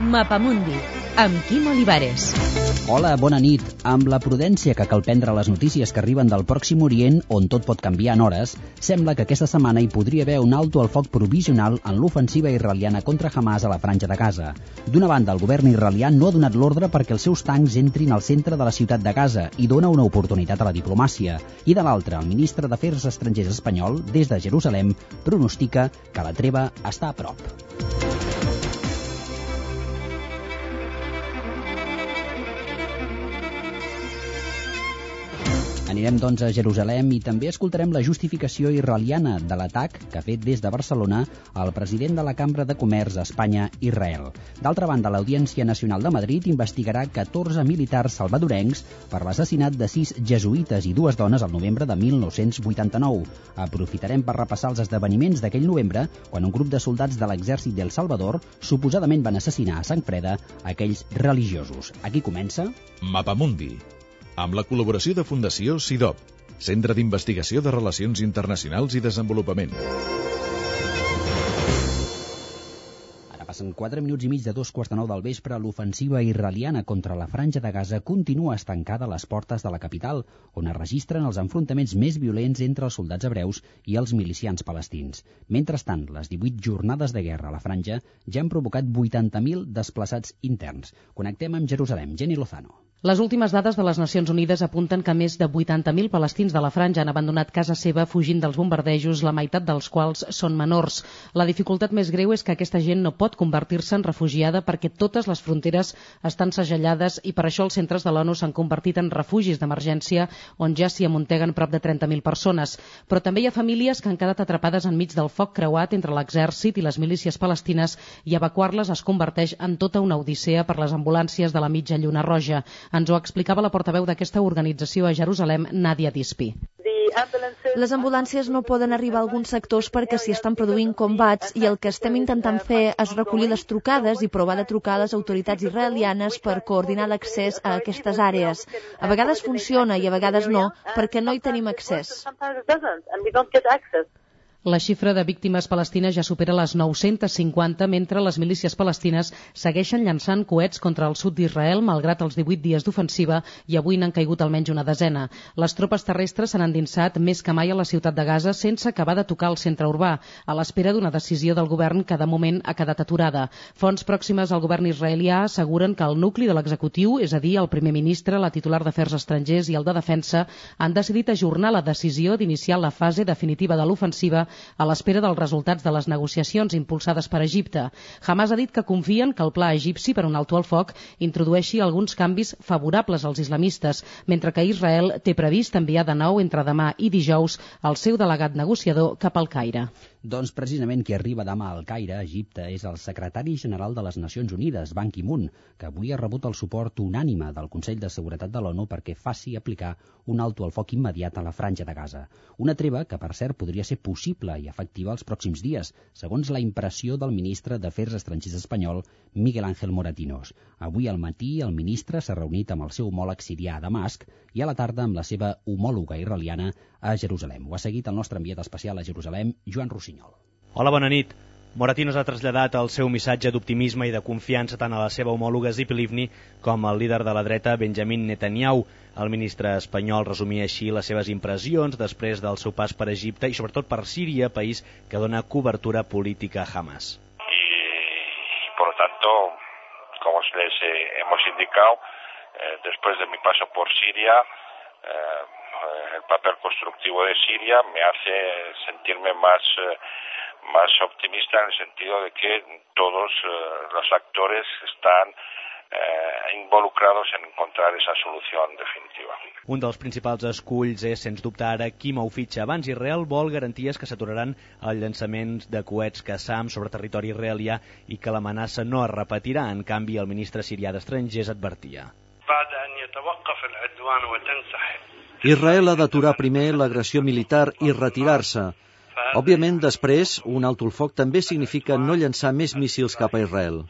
Mapamundi, amb Quim Olivares. Hola, bona nit. Amb la prudència que cal prendre les notícies que arriben del Pròxim Orient, on tot pot canviar en hores, sembla que aquesta setmana hi podria haver un alto al foc provisional en l'ofensiva israeliana contra Hamas a la Franja de Gaza. D'una banda, el govern israelià no ha donat l'ordre perquè els seus tancs entrin al centre de la ciutat de Gaza i dona una oportunitat a la diplomàcia. I de l'altra, el ministre d'Afers Estrangers espanyol, des de Jerusalem, pronostica que la treva està a prop. Anirem, doncs, a Jerusalem i també escoltarem la justificació israeliana de l'atac que ha fet des de Barcelona el president de la Cambra de Comerç Espanya-Israel. D'altra banda, l'Audiència Nacional de Madrid investigarà 14 militars salvadorencs per l'assassinat de 6 jesuïtes i 2 dones al novembre de 1989. Aprofitarem per repassar els esdeveniments d'aquell novembre, quan un grup de soldats de l'exèrcit d'El Salvador suposadament van assassinar a sang freda aquells religiosos. Aquí comença Mapamundi, amb la col·laboració de Fundació CIDOB, Centre d'Investigació de Relacions Internacionals i Desenvolupament. Ara passen 4 minuts i mig de 2:15 del vespre. L'ofensiva israeliana contra la Franja de Gaza continua estancada a les portes de la capital, on es registren els enfrontaments més violents entre els soldats hebreus i els milicians palestins. Mentrestant, les 18 jornades de guerra a la Franja ja han provocat 80.000 desplaçats interns. Connectem amb Jerusalem. Jenny Lozano. Les últimes dades de les Nacions Unides apunten que més de 80.000 palestins de la Franja han abandonat casa seva fugint dels bombardejos, la meitat dels quals són menors. La dificultat més greu és que aquesta gent no pot convertir-se en refugiada perquè totes les fronteres estan segellades i per això els centres de l'ONU s'han convertit en refugis d'emergència on ja s'hi amunteguen prop de 30.000 persones. Però també hi ha famílies que han quedat atrapades enmig del foc creuat entre l'exèrcit i les milícies palestines i evacuar-les es converteix en tota una odissea per les ambulàncies de la Mitja Lluna Roja. Ens ho explicava la portaveu d'aquesta organització a Jerusalem, Nadia Dispi. Les ambulàncies no poden arribar a alguns sectors perquè s'hi estan produint combats i el que estem intentant fer és recollir les trucades i provar de trucar a les autoritats israelianes per coordinar l'accés a aquestes àrees. A vegades funciona i a vegades no, perquè no hi tenim accés. La xifra de víctimes palestines ja supera les 950, mentre les milícies palestines segueixen llançant coets contra el sud d'Israel, malgrat els 18 dies d'ofensiva, i avui n'han caigut almenys una desena. Les tropes terrestres s'han endinsat més que mai a la ciutat de Gaza sense acabar de tocar el centre urbà, a l'espera d'una decisió del govern que de moment ha quedat aturada. Fonts pròximes al govern israelià asseguren que el nucli de l'executiu, és a dir, el primer ministre, la titular d'Afers Estrangers i el de Defensa, han decidit ajornar la decisió d'iniciar la fase definitiva de l'ofensiva a l'espera dels resultats de les negociacions impulsades per Egipte. Hamas ha dit que confien que el pla egipci per un alto al foc introdueixi alguns canvis favorables als islamistes, mentre que Israel té previst enviar de nou entre demà i dijous el seu delegat negociador cap al Caire. Doncs precisament qui arriba demà al Caire, Egipte, és el secretari general de les Nacions Unides, Ban Ki-moon, que avui ha rebut el suport unànime del Consell de Seguretat de l'ONU perquè faci aplicar un alto al foc immediat a la Franja de Gaza. Una treva que, per cert, podria ser possible i efectiva els pròxims dies, segons la impressió del ministre d'Afers Estrangers espanyol, Miguel Ángel Moratinos. Avui al matí el ministre s'ha reunit amb el seu homòleg sirià a Damasc i a la tarda amb la seva homòloga israeliana a Jerusalem. Ho ha seguit el nostre enviat especial a Jerusalem, Joan Rossinyol. Hola, bona nit. Moratinos ha traslladat el seu missatge d'optimisme i de confiança tant a la seva homòloga Tzipi Livni com al líder de la dreta Benjamin Netanyahu. El ministre espanyol resumia així les seves impressions després del seu pas per Egipte i sobretot per Síria, país que dona cobertura política a Hamas. Y por lo tanto, como les hemos indicado, después de mi paso por Siria, el papel constructivo de Siria me hace sentirme más optimista en el sentido de que todos los actores están involucrados en encontrar esa solución definitiva. Un dels principals esculls és, sens dubte, ara Quim Aufitxa. Abans, Israel vol garanties que s'aturaran els llançaments de coets Qassam sobre territori israelià i que l'amenaça no es repetirà. En canvi, el ministre sirià d'Estrangers advertia. Israel ha d'aturar primer l'agressió militar i retirar-se. Òbviament, després, un alto al foc també significa no llançar més míssils cap a Israel.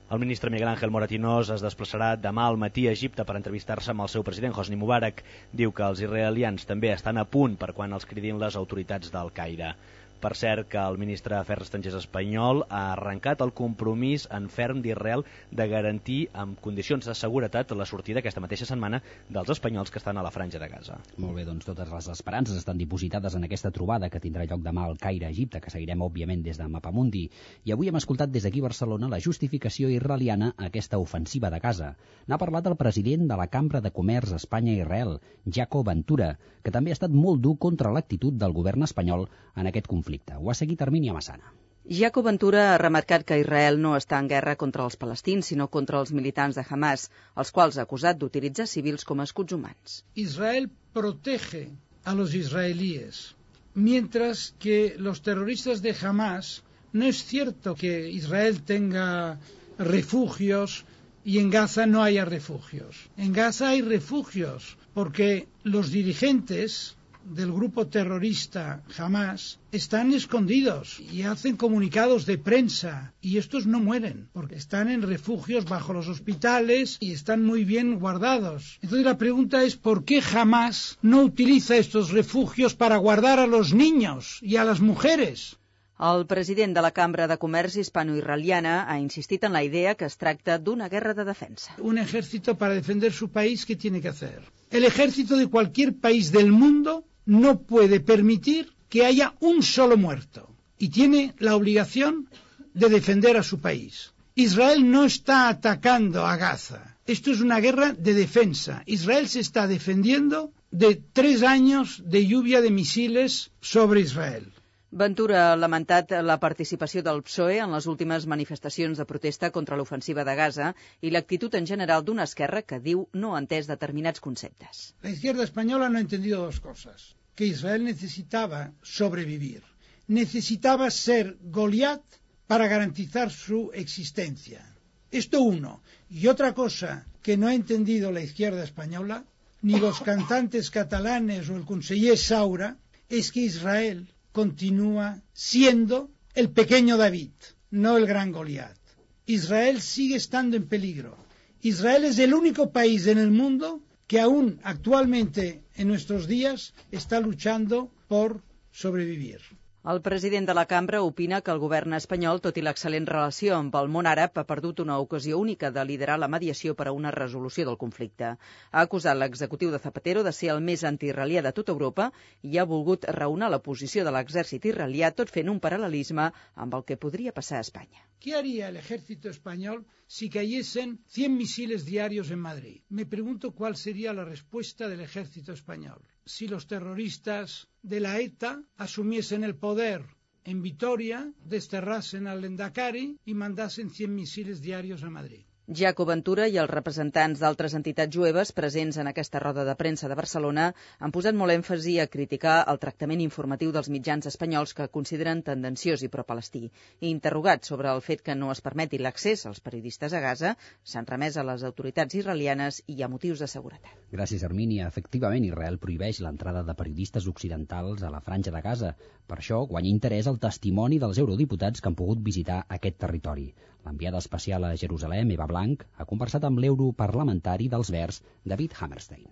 El ministre Miguel Ángel Moratinos es desplaçarà demà al matí a Egipte per entrevistar-se amb el seu president Hosni Mubarak. Diu que els israelians també estan a punt per quan els cridin les autoritats del Caire. Per cert, que el ministre d'Afers Estrangers espanyol ha arrencat el compromís en ferm d'Israel de garantir amb condicions de seguretat la sortida aquesta mateixa setmana dels espanyols que estan a la Franja de Gaza. Molt bé, doncs totes les esperances estan dipositades en aquesta trobada que tindrà lloc demà al Caire, Egipte, que seguirem, òbviament, des de Mapamundi. I avui hem escoltat des d'aquí a Barcelona la justificació israeliana a aquesta ofensiva de Gaza. N'ha parlat el president de la Cambra de Comerç Espanya-Israel, Jaco Ventura, que també ha estat molt dur contra l'actitud del govern espanyol en aquest conflicte. Ho ha seguit Hermínia Massana. Jaco Ventura ha remarcat que Israel no està en guerra contra els palestins, sinó contra els militants de Hamas, els quals ha acusat d'utilitzar civils com a escuts humans. Israel protege a los israelíes, mientras que los terroristas de Hamas, no es cierto que Israel tenga refugios y en Gaza no haya refugios. En Gaza hay refugios, porque los dirigentes del grupo terrorista Hamas están escondidos y hacen comunicados de prensa y estos no mueren porque están en refugios bajo los hospitales y están muy bien guardados. Entonces la pregunta es ¿por qué Hamas no utiliza estos refugios para guardar a los niños y a las mujeres? El president de la Cambra de Comerç Hispano-Israeliana ha insistit en la idea que es tracta d'una guerra de defensa. Un ejército para defender su país, ¿qué tiene que hacer? El ejército de cualquier país del mundo no puede permitir que haya un solo muerto y tiene la obligación de defender a su país. Israel no está atacando a Gaza. Esto es una guerra de defensa. Israel se está defendiendo de 3 años de lluvia de misiles sobre Israel. Ventura ha lamentat la participació del PSOE en les últimes manifestacions de protesta contra l'ofensiva de Gaza i l'actitud en general d'una esquerra que diu no ha entès determinats conceptes. La izquierda española no ha entendido 2 cosas. Que Israel necesitaba sobrevivir. Necesitaba ser Goliat para garantizar su existencia. Esto uno. Y otra cosa que no ha entendido la izquierda española, ni los cantantes catalanes o el conseller Saura, es que Israel continúa siendo el pequeño David, no el gran Goliat. Israel sigue estando en peligro. Israel es el único país en el mundo que aún actualmente en nuestros días está luchando por sobrevivir. El president de la cambra opina que el govern espanyol, tot i l'excel·lent relació amb el món àrab, ha perdut una ocasió única de liderar la mediació per a una resolució del conflicte. Ha acusat l'executiu de Zapatero de ser el més antiisraelià de tota Europa i ha volgut raonar la posició de l'exèrcit israelià, tot fent un paral·lelisme amb el que podria passar a Espanya. ¿Qué haría el ejército español si cayesen 100 misiles diarios en Madrid? Me pregunto cuál sería la respuesta del ejército español. Si los terroristas de la ETA asumiesen el poder en Vitoria, desterrasen al Lendakari y mandasen 100 misiles diarios a Madrid. Jaco Ventura i els representants d'altres entitats jueves presents en aquesta roda de premsa de Barcelona han posat molt èmfasi a criticar el tractament informatiu dels mitjans espanyols que consideren tendenciós i pro-palestí. I interrogats sobre el fet que no es permeti l'accés als periodistes a Gaza, s'han remès a les autoritats israelianes i a motius de seguretat. Gràcies, Hermínia. Efectivament, Israel prohibeix l'entrada de periodistes occidentals a la Franja de Gaza. Per això guanya interès el testimoni dels eurodiputats que han pogut visitar aquest territori. L'enviada especial a Jerusalem, Eva Blanc, ha conversat amb l'europarlamentari dels Verds, David Hammerstein.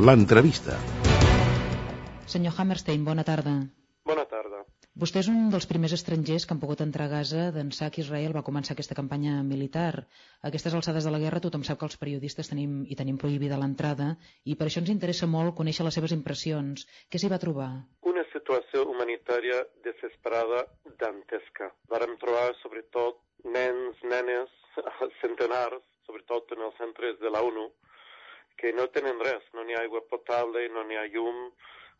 L'entrevista. Senyor Hammerstein, bona tarda. Bona tarda. Vostè és un dels primers estrangers que han pogut entrar a Gaza d'ençà que Israel va començar aquesta campanya militar. A aquestes alçades de la guerra tothom sap que els periodistes tenim prohibida l'entrada i per això ens interessa molt conèixer les seves impressions. Què s'hi va trobar? Una situació humanitària desesperada, dantesca. Vàrem trobar sobretot nens, nenes, centenars, sobretot en els centres de la ONU, que no tenen res, no n'hi ha aigua potable, no n'hi ha llum,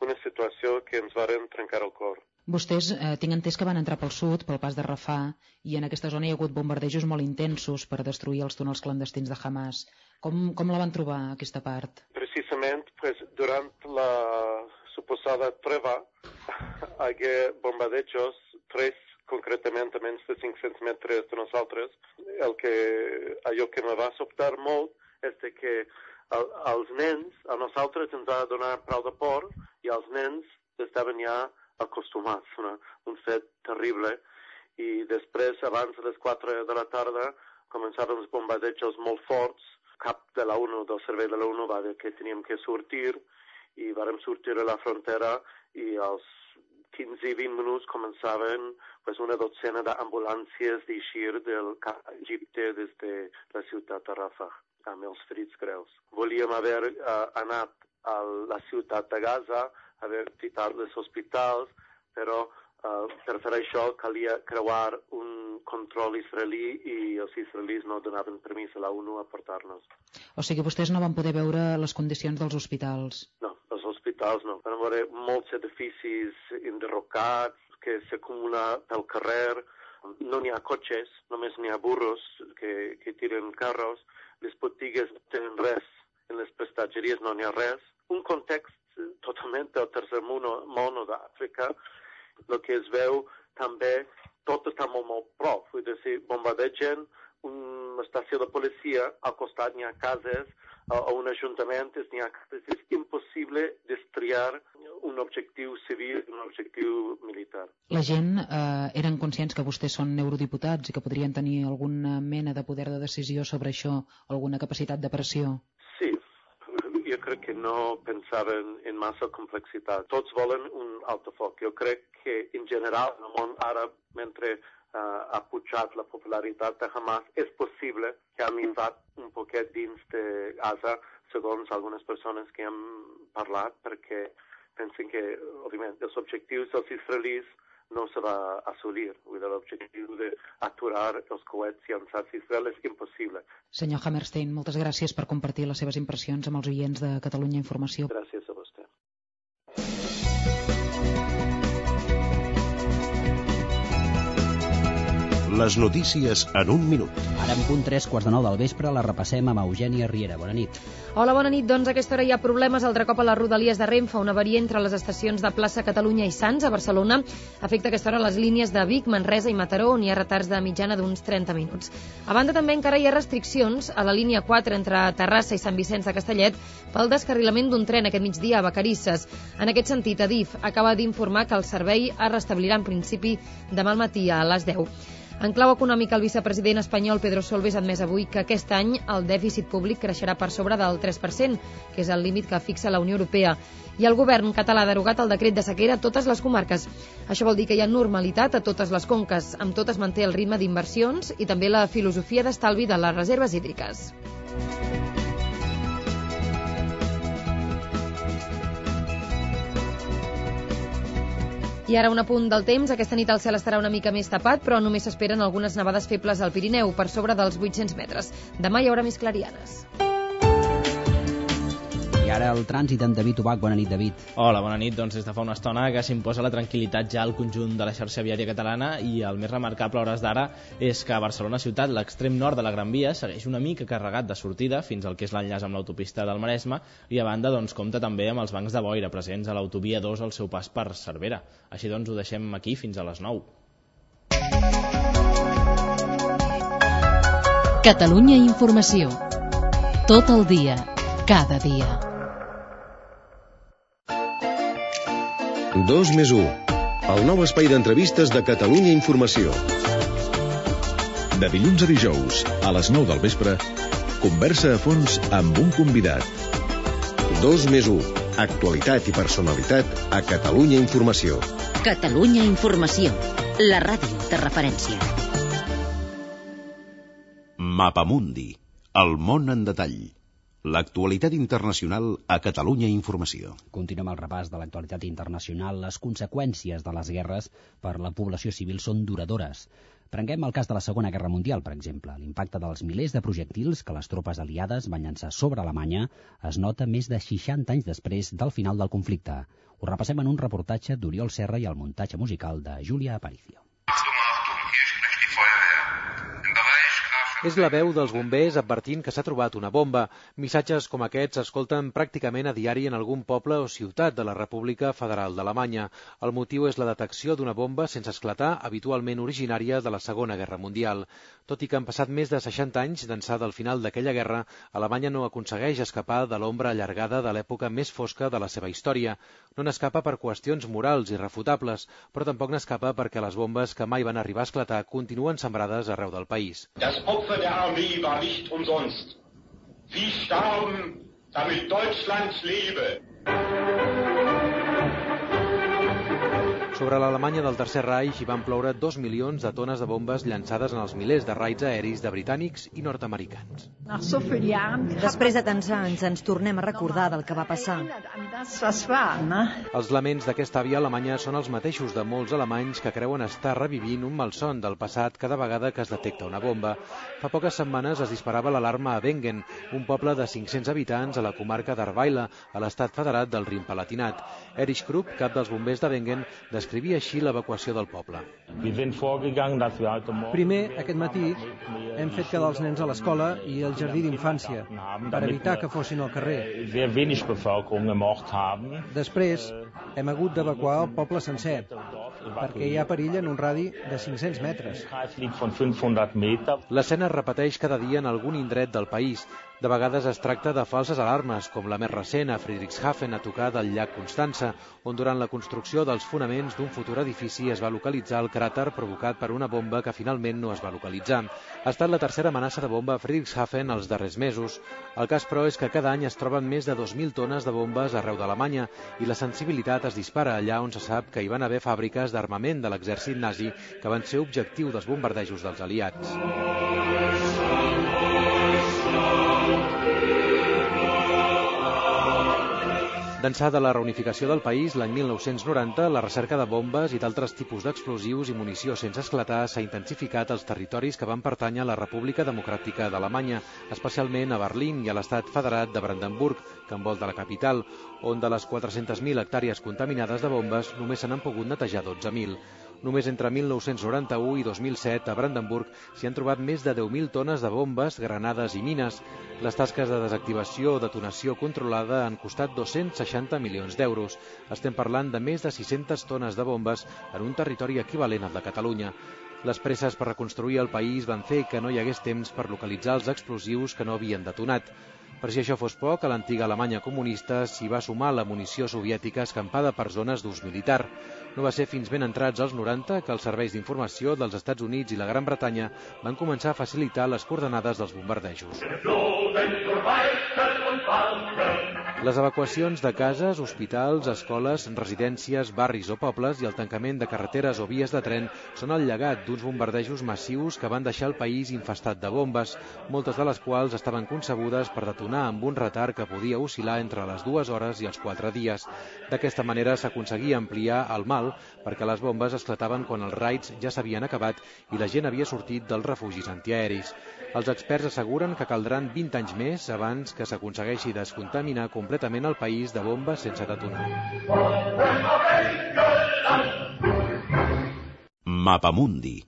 una situació que ens varen trencar el cor. Vostès, tinc entès que van entrar pel sud, pel pas de Rafah, i en aquesta zona hi ha hagut bombardejos molt intensos per destruir els túnels clandestins de Hamas. Com la van trobar, aquesta part? Precisament, durant la suposada treva, hi ha bombardejos, 3 concretament a menys de 500 metres de nosaltres. Allò que me va sobtar molt és que els nens, a nosaltres ens va donar prou de por i els nens estaven ja acostumats, un fet terrible. I després, abans de les 4 de la tarda, començaven els bombardejos molt forts cap de la ONU, del servei de la ONU, va dir que teníem que sortir, i vàrem sortir a la frontera i als 15-20 minuts començaven una dotzena d'ambulàncies d'eixir del Egipte des de la ciutat de Rafah, amb els ferits greus. Volíem haver anat a la ciutat de Gaza, haver visitat els hospitals, però per fer això calia creuar un control israelí i els israelis no donaven permís a la ONU a portar-nos. O sigui, vostès no van poder veure les condicions dels hospitals? No, els hospitals no. Van veure molts edificis enderrocats que s'acumulen pel carrer. No n'hi ha cotxes, només n'hi ha burros que tiren carros. Les botigues no tenen res. En les prestatgeries no n'hi ha res. Un context totalment del tercer món d'Àfrica. El que es veu també, tot està molt prop. Vull dir, bombardegen una estació de policia, al costat n'hi ha cases, o un ajuntament, n'hi ha cases. És impossible destriar un objectiu civil i un objectiu militar. La gent eren conscients que vostès són eurodiputats i que podrien tenir alguna mena de poder de decisió sobre això, alguna capacitat de pressió? Sí. Jo crec que no pensaven en massa complexitat. Tots volen un altofoc. Jo crec que, en general, en el món àrab, mentre ha pujat la popularitat de Hamas, és possible que ha minvat un poquet dins de Gaza, segons algunes persones que hem parlat, perquè pensen que, òbviament, els objectius dels israelis no se va assolir. L'objectiu d'aturar els coets llançats a Israel és impossible. Senyor Hammerstein, moltes gràcies per compartir les seves impressions amb els oients de Catalunya Informació. Gràcies a vostè. Les notícies en un minut. Ara en punt 3:45 del vespre la repassem amb Eugènia Riera. Bona nit. Hola, bona nit. Doncs a aquesta hora hi ha problemes altre cop a les rodalies de Renfe. Una avaria entre les estacions de Plaça Catalunya i Sants, a Barcelona, afecta a aquesta hora les línies de Vic, Manresa i Mataró, on hi ha retards de mitjana d'uns 30 minuts. A banda, també encara hi ha restriccions a la línia 4 entre Terrassa i Sant Vicenç de Castellet pel descarrilament d'un tren aquest migdia a Vacarisses. En aquest sentit, Adif acaba d'informar que el servei es restablirà en principi demà al matí a les 10. En clau econòmica, el vicepresident espanyol Pedro Solbes ha admès avui que aquest any el dèficit públic creixerà per sobre del 3%, que és el límit que fixa la Unió Europea. I el govern català ha derogat el decret de sequera a totes les comarques. Això vol dir que hi ha normalitat a totes les conques. Amb tot es manté el ritme d'inversions i també la filosofia d'estalvi de les reserves hídriques. I ara un apunt del temps. Aquesta nit el cel estarà una mica més tapat, però només s'esperen algunes nevades febles al Pirineu, per sobre dels 800 metres. Demà hi haurà més clarianes. I ara el trànsit amb David Ubach. Bona nit, David. Hola, bona nit. Doncs des de fa una estona que s'imposa la tranquil·litat ja al conjunt de la xarxa viària catalana i el més remarcable a hores d'ara és que a Barcelona ciutat, l'extrem nord de la Gran Via, segueix una mica carregat de sortida fins al que és l'enllaç amb l'autopista del Maresme i a banda doncs compta també amb els bancs de boira presents a l'autovia 2 al seu pas per Cervera. Així doncs ho deixem aquí fins a les 9. Catalunya Informació. Tot el dia, cada dia. 2+1, el nou espai d'entrevistes de Catalunya Informació. De dilluns a dijous, a les 9 del vespre, conversa a fons amb un convidat. 2+1, actualitat i personalitat a Catalunya Informació. Catalunya Informació, la ràdio de referència. Mapamundi, el món en detall. L'actualitat internacional a Catalunya Informació. Continuem el repàs de l'actualitat internacional. Les conseqüències de les guerres per la població civil són duradores. Prenguem el cas de la Segona Guerra Mundial, per exemple. L'impacte dels milers de projectils que les tropes aliades van llançar sobre Alemanya es nota més de 60 anys després del final del conflicte. Ho repassem en un reportatge d'Oriol Serra i el muntatge musical de Júlia Aparicio. És la veu dels bombers advertint que s'ha trobat una bomba. Missatges com aquests s'escolten pràcticament a diari en algun poble o ciutat de la República Federal d'Alemanya. El motiu és la detecció d'una bomba sense esclatar, habitualment originària de la Segona Guerra Mundial. Tot i que han passat més de 60 anys d'ençà del final d'aquella guerra, Alemanya no aconsegueix escapar de l'ombra allargada de l'època més fosca de la seva història. No n'escapa per qüestions morals irrefutables, però tampoc n'escapa perquè les bombes que mai van arribar a esclatar continuen sembrades arreu del país. Der Armee war nicht umsonst. Sie starben, damit Deutschland lebe. Sobre l'Alemanya del Tercer Reich hi van ploure 2 milions de tones de bombes llançades en els milers de raids aeris de britànics i nord-americans. Després de tants anys ens tornem a recordar del que va passar. Els laments d'aquesta àvia alemanya són els mateixos de molts alemanys que creuen estar revivint un malson del passat cada vegada que es detecta una bomba. Fa poques setmanes es disparava l'alarma a Wengen, un poble de 500 habitants a la comarca d'Arweila, a l'estat federat del Rin-Palatinat. Erich Krupp, cap dels bombers de Wengen, descrivia així l'evacuació del poble. Primer, aquest matí, hem fet quedar els nens a l'escola i al jardí d'infància, per evitar que fossin al carrer. Després, hem hagut d'evacuar el poble sencer, perquè hi ha perill en un radi de 500 metres. L'escena es repeteix cada dia en algun indret del país. De vegades es tracta de falses alarmes, com la més recent a Friedrichshafen, a tocar del llac Constança, on durant la construcció dels fonaments d'un futur edifici es va localitzar el cràter provocat per una bomba que finalment no es va localitzar. Ha estat la tercera amenaça de bomba a Friedrichshafen els darrers mesos. El cas, però, és que cada any es troben més de 2.000 tones de bombes arreu d'Alemanya i la sensibilitat es dispara allà on se sap que hi van haver fàbriques d'armament de l'exèrcit nazi que van ser objectiu dels bombardejos dels aliats. D'ençà de la reunificació del país, l'any 1990, la recerca de bombes i d'altres tipus d'explosius i munició sense esclatar s'ha intensificat als territoris que van pertànyer a la República Democràtica d'Alemanya, especialment a Berlín i a l'estat federat de Brandenburg, que envolta la capital, on de les 400.000 hectàrees contaminades de bombes només se n'han pogut netejar 12.000. Només entre 1991 i 2007 a Brandenburg s'hi han trobat més de 10.000 tones de bombes, granades i mines. Les tasques de desactivació o detonació controlada han costat 260 milions d'euros. Estem parlant de més de 600 tones de bombes en un territori equivalent al de Catalunya. Les presses per reconstruir el país van fer que no hi hagués temps per localitzar els explosius que no havien detonat. Per si això fos poc, a l'antiga Alemanya comunista s'hi va sumar la munició soviètica escampada per zones d'ús militar. No va ser fins ben entrats als 90 que els serveis d'informació dels Estats Units i la Gran Bretanya van començar a facilitar les coordenades dels bombardejos. Les evacuacions de cases, hospitals, escoles, residències, barris o pobles i el tancament de carreteres o vies de tren són el llegat d'uns bombardejos massius que van deixar el país infestat de bombes, moltes de les quals estaven concebudes per detonar amb un retard que podia oscil·lar entre les 2 hores i els 4 dies. D'aquesta manera s'aconseguia ampliar el mal perquè les bombes esclataven quan els raids ja s'havien acabat i la gent havia sortit dels refugis antiaeris. Els experts asseguren que caldran 20 anys més abans que s'aconsegueixi descontaminar completament el país de bombes sense detonar. Mapamundi.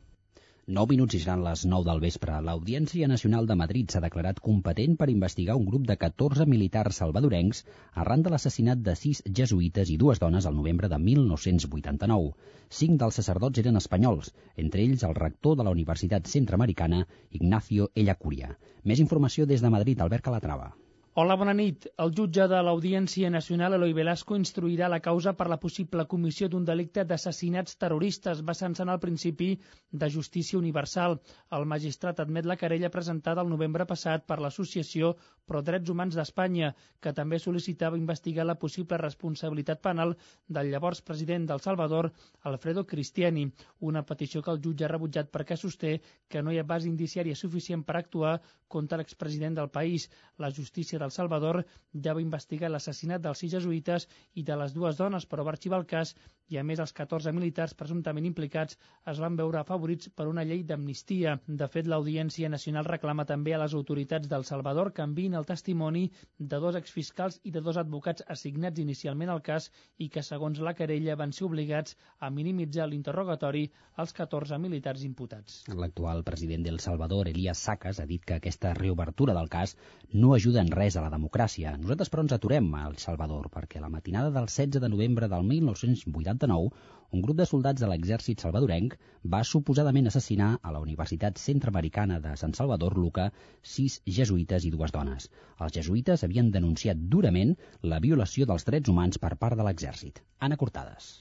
9 minuts i seran les 9 del vespre. L'Audiència Nacional de Madrid s'ha declarat competent per investigar un grup de 14 militars salvadorencs arran de l'assassinat de 6 jesuïtes i 2 dones al novembre de 1989. 5 dels sacerdots eren espanyols, entre ells el rector de la Universitat Centroamericana, Ignacio Ellacuria. Més informació des de Madrid, Albert Calatrava. Hola, bona nit. El jutge de l'Audiència Nacional, Eloi Velasco, instruirà la causa per la possible comissió d'un delicte d'assassinats terroristes, basant-se en el principi de justícia universal. El magistrat admet la querella presentada el novembre passat per l'Associació Pro Drets Humans d'Espanya, que també sol·licitava investigar la possible responsabilitat penal del llavors president d'El Salvador, Alfredo Cristiani, una petició que el jutge ha rebutjat perquè sosté que no hi ha base indiciària suficient per actuar contra l'expresident del país. La justícia d'El Salvador ja va investigar l'assassinat dels 6 jesuïtes i de les 2 dones, però va arxivar el cas i, a més, els 14 militars presumptament implicats es van veure afavorits per una llei d'amnistia. De fet, l'Audiència Nacional reclama també a les autoritats d'El Salvador que enviïn el testimoni de 2 exfiscals i de 2 advocats assignats inicialment al cas i que, segons la querella, van ser obligats a minimitzar l'interrogatori als 14 militars imputats. L'actual president d'El Salvador, Elías Sacas, ha dit que aquesta reobertura del cas no ajuda en res a la democràcia. Nosaltres, però, ens aturem a El Salvador perquè la matinada del 16 de novembre del 1989 un grup de soldats de l'exèrcit salvadorenc va suposadament assassinar a la Universitat Centroamericana de San Salvador, Luca, 6 jesuïtes i 2 dones. Els jesuïtes havien denunciat durament la violació dels drets humans per part de l'exèrcit. Anna Cortades.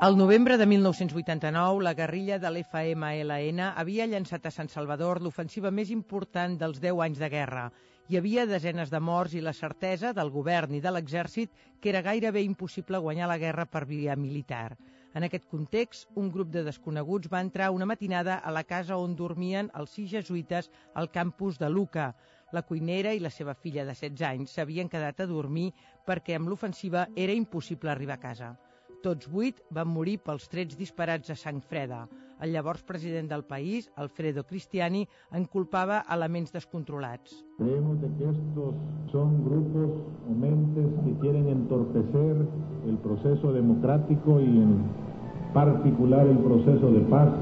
Al novembre de 1989, la guerrilla de l'FMLN havia llançat a Sant Salvador l'ofensiva més important dels 10 anys de guerra. Hi havia desenes de morts i la certesa del govern i de l'exèrcit que era gairebé impossible guanyar la guerra per via militar. En aquest context, un grup de desconeguts va entrar una matinada a la casa on dormien els 6 jesuïtes al campus de Lucca. La cuinera i la seva filla de 16 anys s'havien quedat a dormir perquè amb l'ofensiva era impossible arribar a casa. Tots 8 van morir pels trets disparats a sang freda. El llavors president del país, Alfredo Cristiani, en culpava elements descontrolats. Creemos de que estos son grupos o mentes que quieren entorpecer el proceso democrático y en particular el proceso de paz.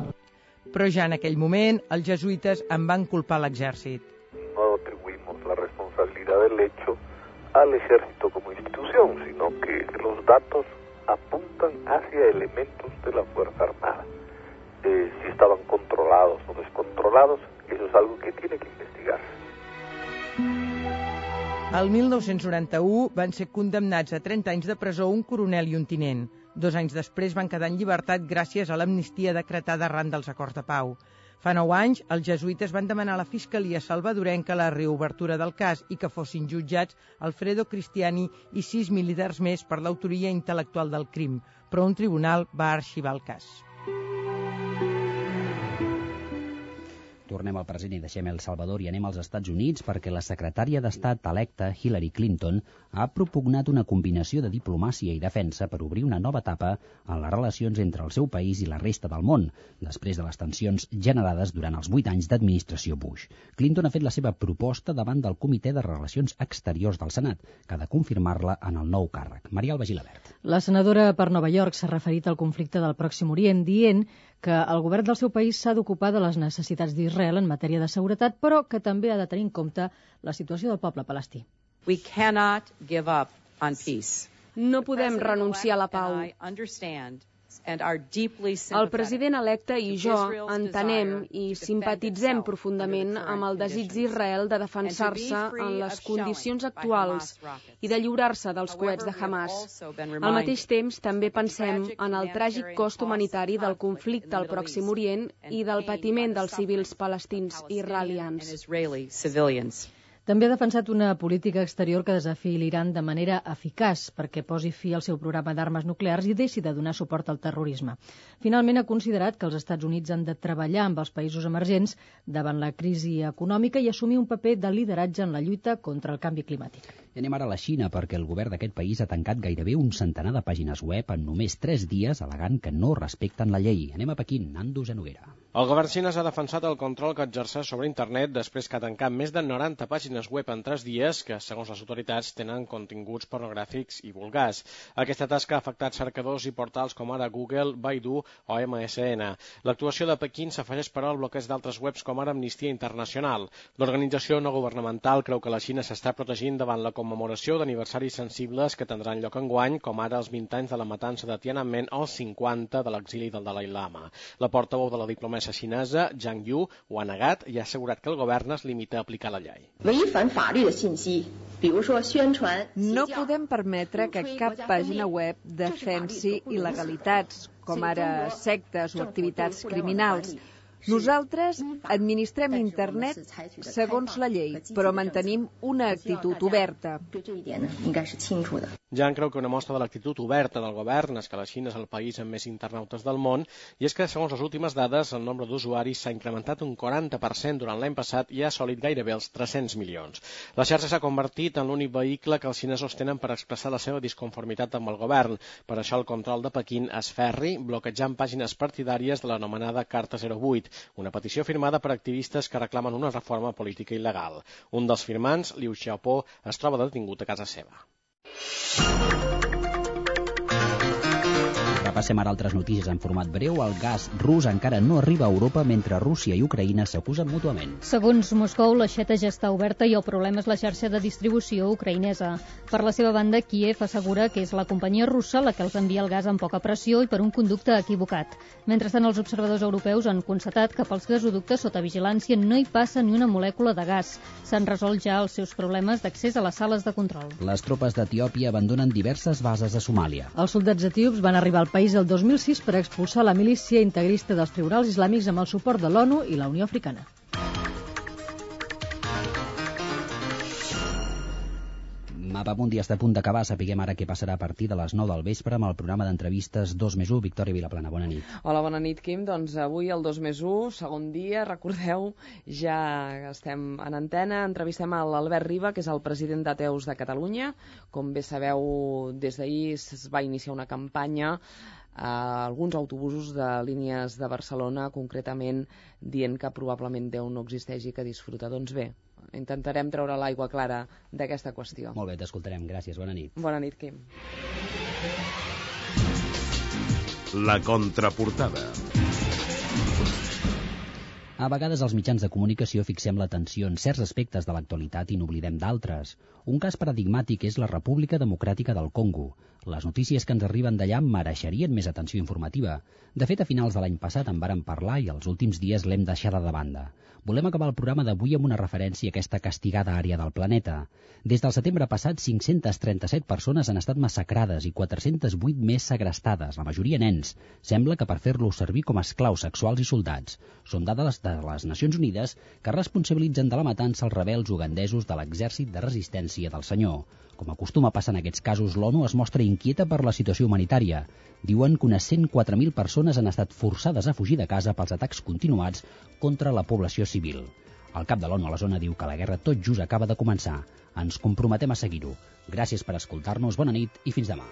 Però ja en aquell moment, els jesuïtes en van culpar l'exèrcit. No atribuimos la responsabilidad del hecho al ejército como institución, sino que los datos apuntan hacia elementos de la Fuerza Armada. Si estaban controlados o descontrolados, eso es algo que tiene que investigarse. El 1991 van ser condemnats a 30 anys de presó un coronel i un tinent. 2 anys després van quedar en llibertat gràcies a l'amnistia decretada arran dels acords de pau. Fa 9 anys, els jesuïtes van demanar a la Fiscalia salvadorenca la reobertura del cas i que fossin jutjats Alfredo Cristiani i 6 militars més per l'autoria intel·lectual del crim, però un tribunal va arxivar el cas. Tornem al present i deixem El Salvador i anem als Estats Units perquè la secretària d'Estat electa, Hillary Clinton, ha propugnat una combinació de diplomàcia i defensa per obrir una nova etapa en les relacions entre el seu país i la resta del món, després de les tensions generades durant els 8 anys d'administració Bush. Clinton ha fet la seva proposta davant del Comitè de Relacions Exteriors del Senat, que ha de confirmar-la en el nou càrrec. Maria Alba Gilabert. La senadora per Nova York s'ha referit al conflicte del Pròxim Orient, dient que el govern del seu país s'ha d'ocupar de les necessitats d'Israel en matèria de seguretat, però que també ha de tenir en compte la situació del poble palestí. We cannot give up on peace. No podem renunciar a la pau. El president electe i jo entenem i simpatitzem profundament amb el desig d'Israel de defensar-se en les condicions actuals i de lliurar-se dels coets de Hamas. Al mateix temps, també pensem en el tràgic cost humanitari del conflicte al Pròxim Orient i del patiment dels civils palestins i israelians. També ha defensat una política exterior que desafiï l'Iran de manera eficaç perquè posi fi al seu programa d'armes nuclears i deixi de donar suport al terrorisme. Finalment, ha considerat que els Estats Units han de treballar amb els països emergents davant la crisi econòmica i assumir un paper de lideratge en la lluita contra el canvi climàtic. I anem ara a la Xina perquè el govern d'aquest país ha tancat gairebé un centenar de pàgines web en només 3 dies, al·legant que no respecten la llei. Anem a Pequín, Nando Genoguera. El govern xinès ha defensat el control que exerceix sobre internet després que ha tancat més de 90 pàgines web en 3 dies que, segons les autoritats, tenen continguts pornogràfics i vulgars. Aquesta tasca ha afectat cercadors i portals com ara Google, Baidu o MSN. L'actuació de Pequín s'afegeix però al bloqueig d'altres webs com ara Amnistia Internacional. L'organització no governamental creu que la Xina s'està protegint davant la commemoració d'aniversaris sensibles que tindran lloc enguany, com ara els 20 anys de la matança de Tiananmen o els 50 de l'exili del Dalai Lama. La portaveu de la diplomàcia xinesa, Zhang Yu, ho ha negat i ha assegurat que el govern es limita a aplicar la llei. No podem permetre que cap pàgina web defensi il·legalitats, com ara sectes o activitats criminals. Nosaltres administrem internet segons la llei, però mantenim una actitud oberta. Jan creu que una mostra de l'actitud oberta del govern és que la Xina és el país amb més internautes del món i és que, segons les últimes dades, el nombre d'usuaris s'ha incrementat un 40% durant l'any passat i ha assolit gairebé els 300 milions. La xarxa s'ha convertit en l'únic vehicle que els xinesos tenen per expressar la seva disconformitat amb el govern. Per això el control de Pequín és ferri, bloquejant pàgines partidàries de l'anomenada Carta 08, una petició firmada per activistes que reclamen una reforma política il·legal. Un dels firmants, Liu Xiaobo, es troba detingut a casa seva. Repassem ara altres notícies en format breu. El gas rus encara no arriba a Europa mentre Rússia i Ucraïna s'acusen mútuament. Segons Moscou, l'aixeta ja està oberta i el problema és la xarxa de distribució ucraïnesa. Per la seva banda, Kíev assegura que és la companyia russa la que els envia el gas amb poca pressió i per un conducte equivocat. Mentrestant, els observadors europeus han constatat que pels gasoductes sota vigilància no hi passa ni una molècula de gas. S'han resolt ja els seus problemes d'accés a les sales de control. Les tropes d'Etiòpia abandonen diverses bases a Somàlia. Els soldats etíops van arribar al país país el 2006 per expulsar la milícia integrista dels tribunals islàmics amb el suport de l'ONU i la Unió Africana. Mapamundi està a punt d'acabar. Sapiguem ara què passarà a partir de les 9 del vespre amb el programa d'entrevistes 2+1. Victòria Vilaplana, bona nit. Hola, bona nit, Quim. Doncs avui el 2+1, segon dia, recordeu, ja estem en antena. Entrevistem a l'Albert Riba, que és el president d'Ateus de Catalunya. Com bé sabeu, des d'ahir es va iniciar una campanya a alguns autobusos de línies de Barcelona, concretament dient que probablement Déu no existeix i que disfruta. Doncs bé, intentarem treure l'aigua clara d'aquesta qüestió. Molt bé, t'escoltarem. Gràcies, bona nit. Bona nit, Quim. La contraportada. A vegades els mitjans de comunicació fixem l'atenció en certs aspectes de l'actualitat i n'oblidem d'altres. Un cas paradigmàtic és la República Democràtica del Congo. Les notícies que ens arriben d'allà mereixerien més atenció informativa. De fet, a finals de l'any passat en vàrem parlar i els últims dies l'hem deixada de banda. Volem acabar el programa d'avui amb una referència a aquesta castigada àrea del planeta. Des del setembre passat, 537 persones han estat massacrades i 408 més segrestades, la majoria nens. Sembla que per fer-los servir com a esclaus sexuals i soldats. Són dades de les Nacions Unides que responsabilitzen de la matança els rebels ugandesos de l'exèrcit de resistència del Senyor. Com acostuma a passar en aquests casos, l'ONU es mostra inquieta per la situació humanitària. Diuen que unes 104.000 persones han estat forçades a fugir de casa pels atacs continuats contra la població civil. El cap de l'ONU a la zona diu que la guerra tot just acaba de començar. Ens comprometem a seguir-ho. Gràcies per escoltar-nos, bona nit i fins demà.